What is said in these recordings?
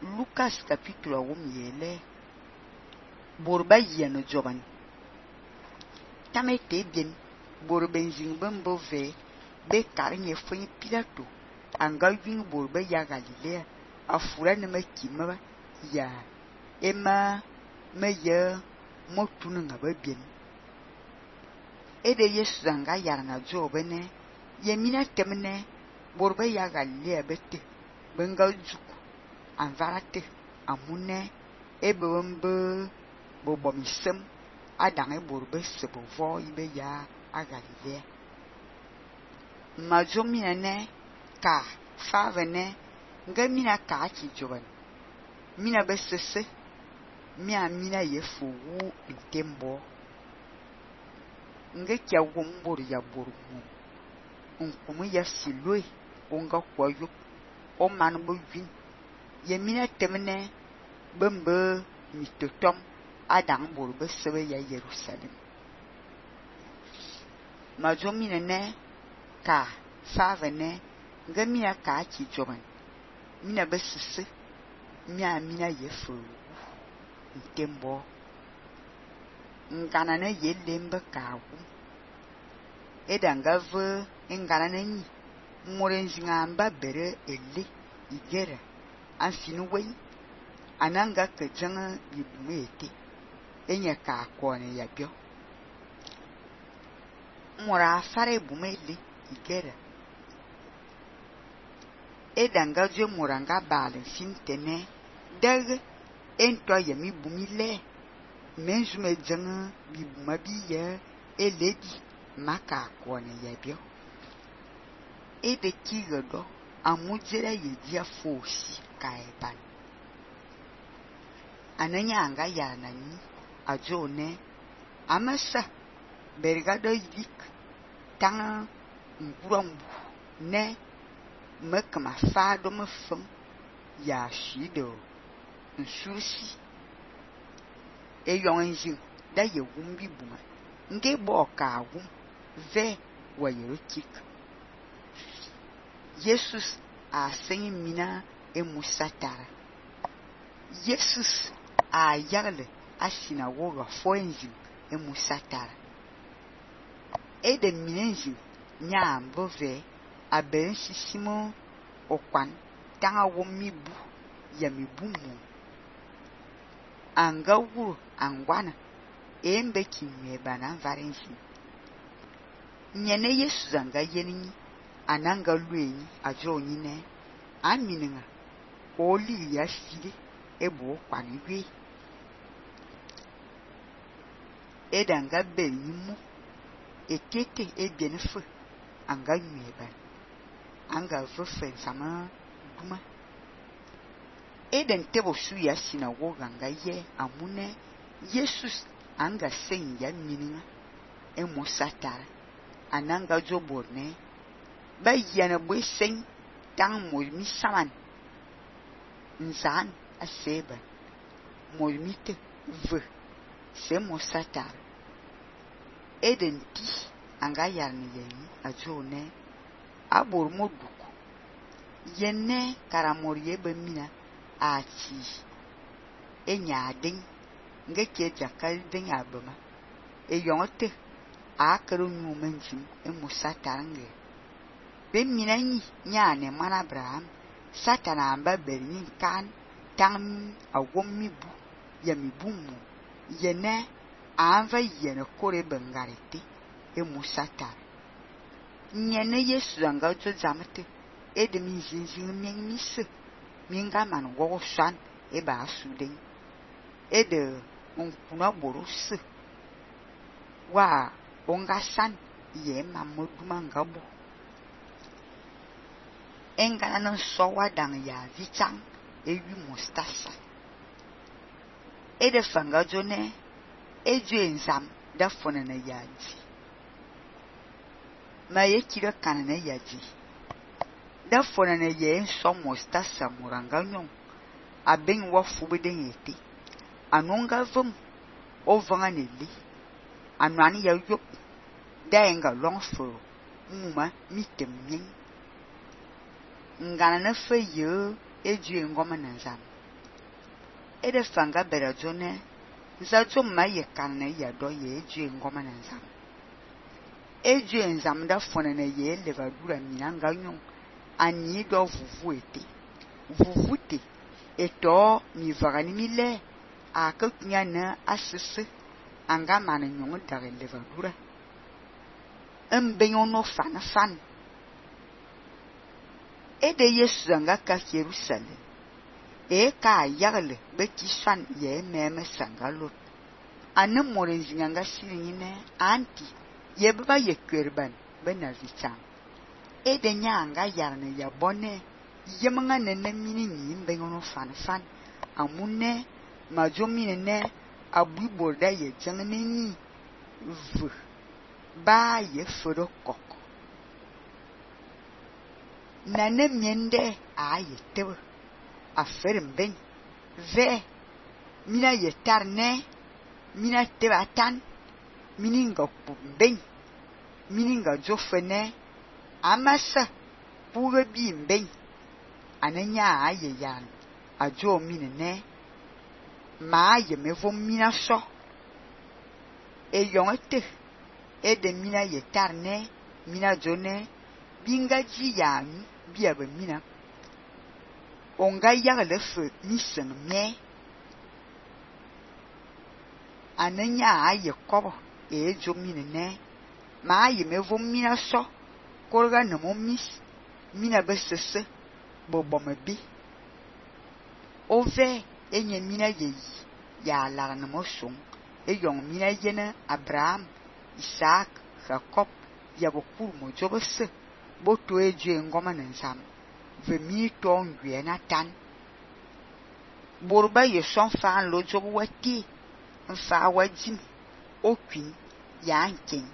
Lucas capítulo 1 borba yeno joban tamete bien borbenzing bambo ve be karnye fun Pilato anga wing borba ya Galilea afura ne makima ya ema meya motunu ngaba bien ede Yesu anga yarna jobene yemina temne borba ya Galilea bete benga juku anvarate amune ebombe bobomisem adange borba sebovo ibe ya a Galilea majomina ne ka favene ngamina ka chi joban mina besese mina yefu ntembo nge kya wombor ya bormu nkumu ya silwe onga kwayo o man bo win yemina temne bembe mitotom adang borbe sebe ya Jerusalem majomina ne ka favene ngamina ka chi joban mina besese mina yefu ntembo ngana ne yelembe kawu edanga ve ngana ne ni morenjingamba bere ele igera afinu wei ananga kejanga bibumete enya ka kone yabio mora fare bumele igera edanga je moranga bale fintene dag ento yemi bumile menjume janga bibumabiya eledi maka kone yabio ede kigodo amujera yedia fosi kaeban ananya anga yana ni ajone amasa bergado yik tanga ngurombu ne mekma fado mefum ya shido nsursi eyonjin da yewumbi buma nge boka wum ve wayerokik Jesus a sengi mina emusatara Jesus a yagle a sinagoga foenjin emusatara ede minenjin nyambo ve a bensisimo okwan tanga womibu yamibumu anga wuru angwana embe kimeba na varenjin nyene Yesu zanga yeni ananga luenyi ajonyi ne amininga oli ya fili ebo kwaniwe edanga benyimu ekete ebienfe anga nyeba anga vefe sama duma eden tebo suya sinagoga anga ye amune Jesus anga sen ya mininga emosatara ananga joborne ba yana boy sen tang moymi saman nzan aseba moymite ve se mosatar eden ti anga yarni yeni ajone abor moduku yenne karamoriye bemina achi enya den ngeke jakal den abama eyonte akaro nyumenjim emusatarnge bemina ni nyane mana Abraham satana amba berni kan tam awomibu yamibumu yene anva yene kore bengarete emusatar nyene Yesu anga jo jamete edemi jinjin menmise minga man wo shan eba suden ede onkuna borose wa onga san ye mamoduma ngabo engana no sowa dang ya vichang ewi mustasa ede fanga jone eju enzam da fona na yaji ma yekira kana na yaji da fona na ye so mustasa muranga nyon aben wa fubeden yete anonga vum ovanga neli anwani ya yop da enga long fo muma mitemnyen ngana na fe ye eju ngoma na nzam ede fanga bera jone za jo ma ye kanne ya do ye ju ngoma na nzam eju nzam da fona na ye levadura minanga nyon ani do vuvute eto mi vagani mile aka kunyana asese anga mana nyon da levadura embenyo no fan ede Yesu anga ka Jerusalem ka yagle be kishan ye meme sangalot ane morenzi anga siringine anti ye baba ye kwerban be na vicham ede nya anga yarne ya bone yemanga nene mini nyimbe ngono fan amune majomine ne abui borda ye jangne ni v ba ye fodo kok nane miende a ye tebe aferem ben ve mina ye tarne mina tebe atan mininga ben mininga jofene amasa puga bi ben ananya aye yan ajo minene ma ye mevo mina so e yongete e de mina ye tarne mina jone binga ji yan biya be mina onga yagle fe misen me ananya aye kobo e jo minene ma ye mevo mina so korga na mo mis mina besese bobo mebi ove enye mina ye ya la na mo song e yong mina yena Abraham Isaac Jacob ya bokur mo jobese boto eje ngoma na nsam ve mi to ngwe na tan borba ye son fa lo jobo wati mfa wajim okwin ya nkin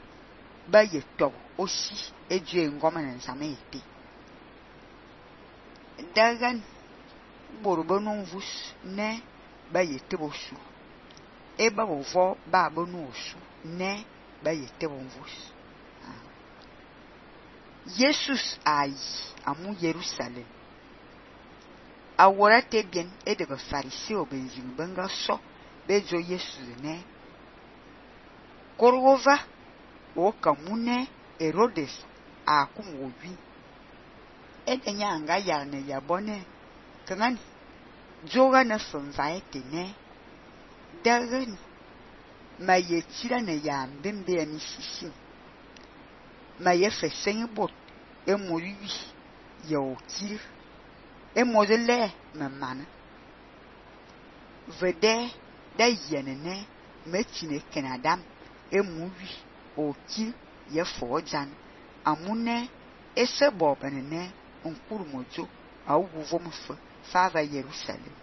ba ye to osi eje ngoma na nsam ete dagan borba non vus ne ba ye tebosu e ba vo ba bonu osu ne ba ye tebonvus Jesus ai amu Jerusalem awora te bien e de fariseo benzin benga so bejo Jesus ne korova o kamune Herodes akumwobi edenya anga yarne yabone kangan joga na sonvaete ne dagan ma ye tira ne ya mbembe ya misisi ma ye fesen bot e mori ya okir e modele mamana vede da yenene metine kenadam e muri okir ye fojan amune ese bobenene onkurumojo awuvo mfa fava Jerusalem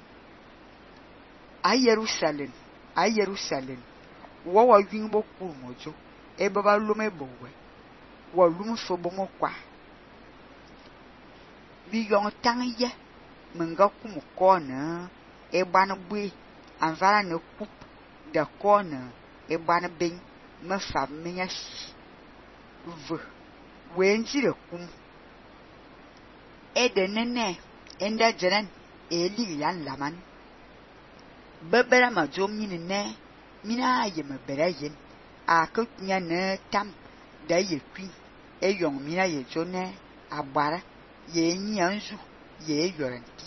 a Jerusalem wo wa yin bo kurumojo e baba lume bowe wo lume fo bomo kwa bi yon tanye menga kumu kona e ban bui anvara ne kup da kona e ban ben me fa menya v wenjire kum e de nene enda jeren e li yan laman bebera ma jo minene mina ye me bera yin a ka nya ne tam da ye kwi e yong mina ye jo ne agbara ye nyanzu ye yoranti